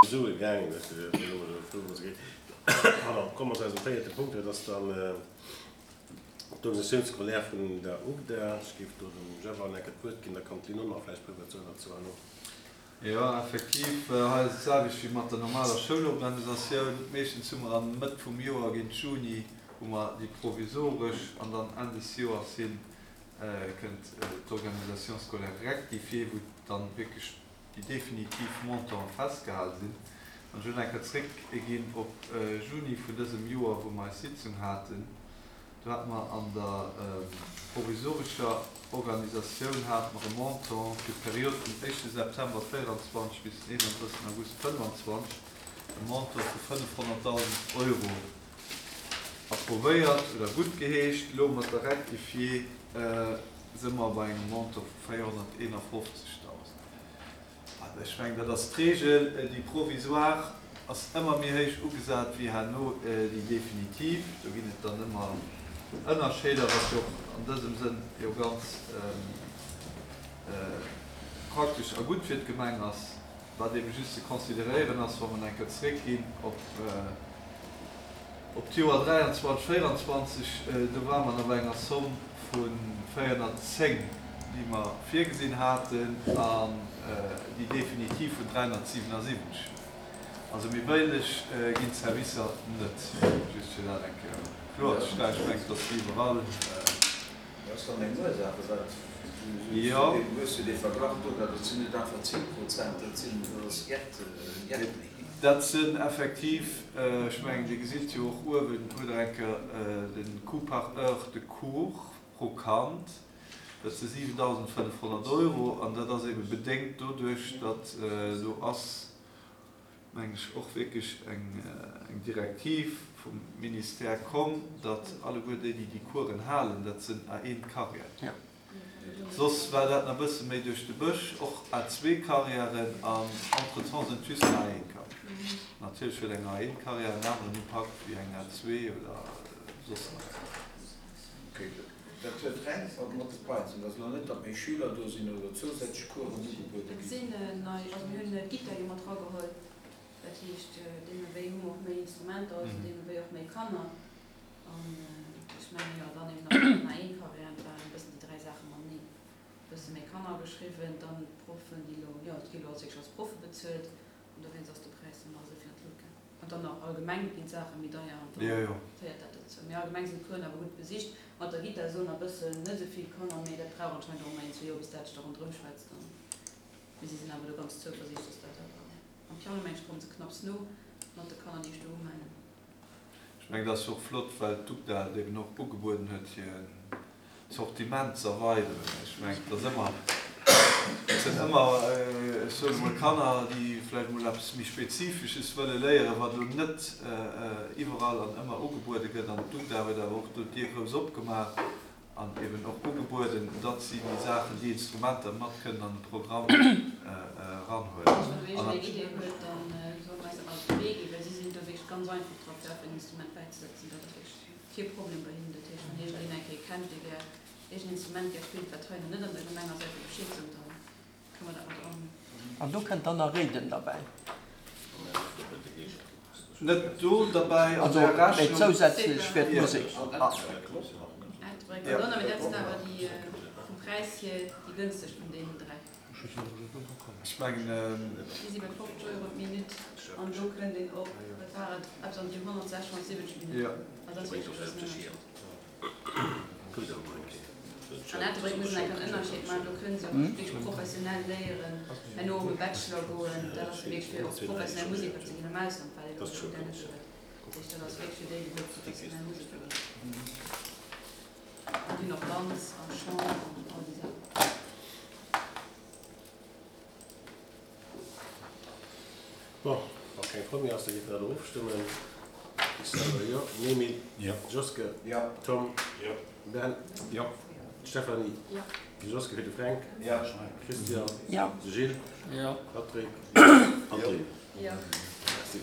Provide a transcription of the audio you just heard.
Sue gaangen, Pardon, komme mer zu eisem véierte Punkt, dat ass dann d'Organisation scolaire vun der UGDA. Ech géif do dem Jeff an enker d'Wuert ginn, da kann d'Lynn och nach vläicht e puer Wuert soen dozou herno. Jo, effektiv, hei ass et d'selwecht wéi mat der normaler Schoulorganisatioun. Meeschtens hu mer an Mëtt vum Joer, géint Juni, hu mer déi provisoresch an dann Enn des Joers hin kënnt d'Organisation scolaire rectifiée, wou dann wierklech déi definitiv Montanten festgehal sinn. An ech wëll nach eng Kéier zréckginn op Juni vun dësem Joer, wou mer eis Sitzung haten. Do hate mer an der provisorescher Organisatioun hate mer e Montant fir d'Period vum éischte September 24 bis den 31 August 25, e Montant vu 500.000 Euro approvéiert oder guttgeheescht. Elo mat der Rectifié si mer bei engem Montant vu 451.000. Also ech mengen, dat ass d'Regel. Déi provisoire ass ëmmer méi héich ugesat wéi herno déi definitiv. Do ginn et dann ëmmer Ënnerscheeder, wat jo och an dësem Sënn jo ganz praktesch a gutt fir d'Gemeng ass. Wat eebe just ze consideréieren ass, wa mer eng Kéier zréckginn op Op d'Joer 23, 24, do ware mer nach bei enger Somm vu 410, déi mer virgesinn haten, an déi definitiv vun 377. Also méi bëlleg ginn d'Servicer net, just fir dat eng Kéier kloerzestellen. Ech mengen, et ass wéi iwwerall. Dat ass dann eng Ursaach, firwat du hues jo dee Verglach do, dat sinn net einfach 10 Prozent, dat sinn, dat ass jett, jett méi. Dat sinn effektiv, ech mengen, Dir gesitt jo och uewen, hutt Der eng Kéier de Coût par heure de cours pro Kand, dat si 7.500 Euro an dat ass eebe bedéngt doduerch, datt do ass, meng ech, och wierklech eng Direktiv vum Ministère komm, datt alleguer déi, déi déi Coursen halen, dat sinn A1-Carrièren. Soss war dat nach e bësse méi duerch de Bësch, och A2-Carrièren an entretemps sinn et just nach A1-Carrièren. Natierlech huet eng A1-Carrière en aneren Impakt wéi eng A2 oder soss nach eng. Dat huet reng mat de Paien ze dinn. Et ass elo net, datt méi Schüler do sinn oder zousätzlech Coursen ugebuede Et ginn. sinn nei, also mir hunn d'Gittar jo mat erageholl, dat heescht deemno wéi hu mer och méi Instrumenter, also deemno wéi och méi Kanner. An ech mengen, jo, dann eben nach d'A1-Carrièren, dat waren e bëssen déi dräi Saache mateneen. E bësse méi Kanner ageschriwwen, dann d'Proffen, déi elo, jo, et gi elo als wierklech als Proffe bezuelt an dowéinst ass de Präis dann nach esou vill an d'Lut gaang. An dann nach allgemeng ginn d'Saache méi deier an da féiert dat dozou. Mee allgemeng sinn d'Coursen awer gutt besicht. Mat der Gittar soen a bëssen net esou vill Kanner, mee dat brauch anscheinend och ëmmer een, zwee Joer, bis dat sech da ronderëm schwätzt. An mee si sinn awer do ganz zouversiichtlech, dass dat awer am Piano, meng ech, komme se knapps no mat de Kanner, déi ech do umellen. Ech mengen, dat ass jo och flott, well d'UGDA et eben och ugebueden huet, hir Sortiment ze erweideren. Ech mengen, et ass ëmmer, et sinn ëmmer, ech soen emol, Kanner, déi vläicht emol eppes méi Spezifisches wëlle léieren, wat elo net iwwerall an ëmmer ugebuede gëtt. An d'UGDA huet awer och do d'Dier grouss opgemaach an eben och ugebueden, datt si déi Saachen, déi Instrumenter mat kënnen an de Programm eranhuelen. Also wann iergendeen eng Idee huet, da soll mer eis dat alles op de Wee ginn, well si sinn do wierklech ganz einfach dra fir einfach en Instrument bäizesetzen. Dat ass wierklech Kee Problem bei hinnen. Dat heescht, wann iergendeen eng Kéier kennt, dee gär iergend Instrument gär spillt, wat hei nach net an der Gemeng ass, einfach Bescheed soen, da kënne mer dat mat eranhuelen. An do kënnt dann nach Réiden derbäi. Net do derbäi an der Rechnung. Also, mee zousätzlech fir d'Musek. Ettelbréck an Donner, mee dat sinn awer déi vum Präis hier déi gënstegst vun deenen 3. Ech mengen. Déi si bei 50 Euro d'Minutt an do kënnt een op, wat war et, eppes an déi 160, 170 Minutten. Also dat ass wierklech e groussen Ënnerscheed. An Ettelbréck muss een enk en Ënnerscheed maachen, do kënne se och wierklech professionell léieren, herno op e Bachelor goen. Dat ass wierklech fir och professionell Museker ze ginn am Ausland, wat een op der Uni net esou huet. Dat heescht, dat ass wierklech fir déi, déi wëlle professionell Museker ginn. An déi hunn och Danz a Chant an all déi Saachen. Bon, wa keng Fro méi ass, da géife mer dat elo ofstëmmen. Xaver, jo. Emile? Jo. Joske? Jo. Tom? Jo. Ben? Jo. Stéphanie? Jo. Joske fir de Fränk? Jo. Christian? Jo. Gilles? Jo. Patrick? Jo. André? Jo. Merci.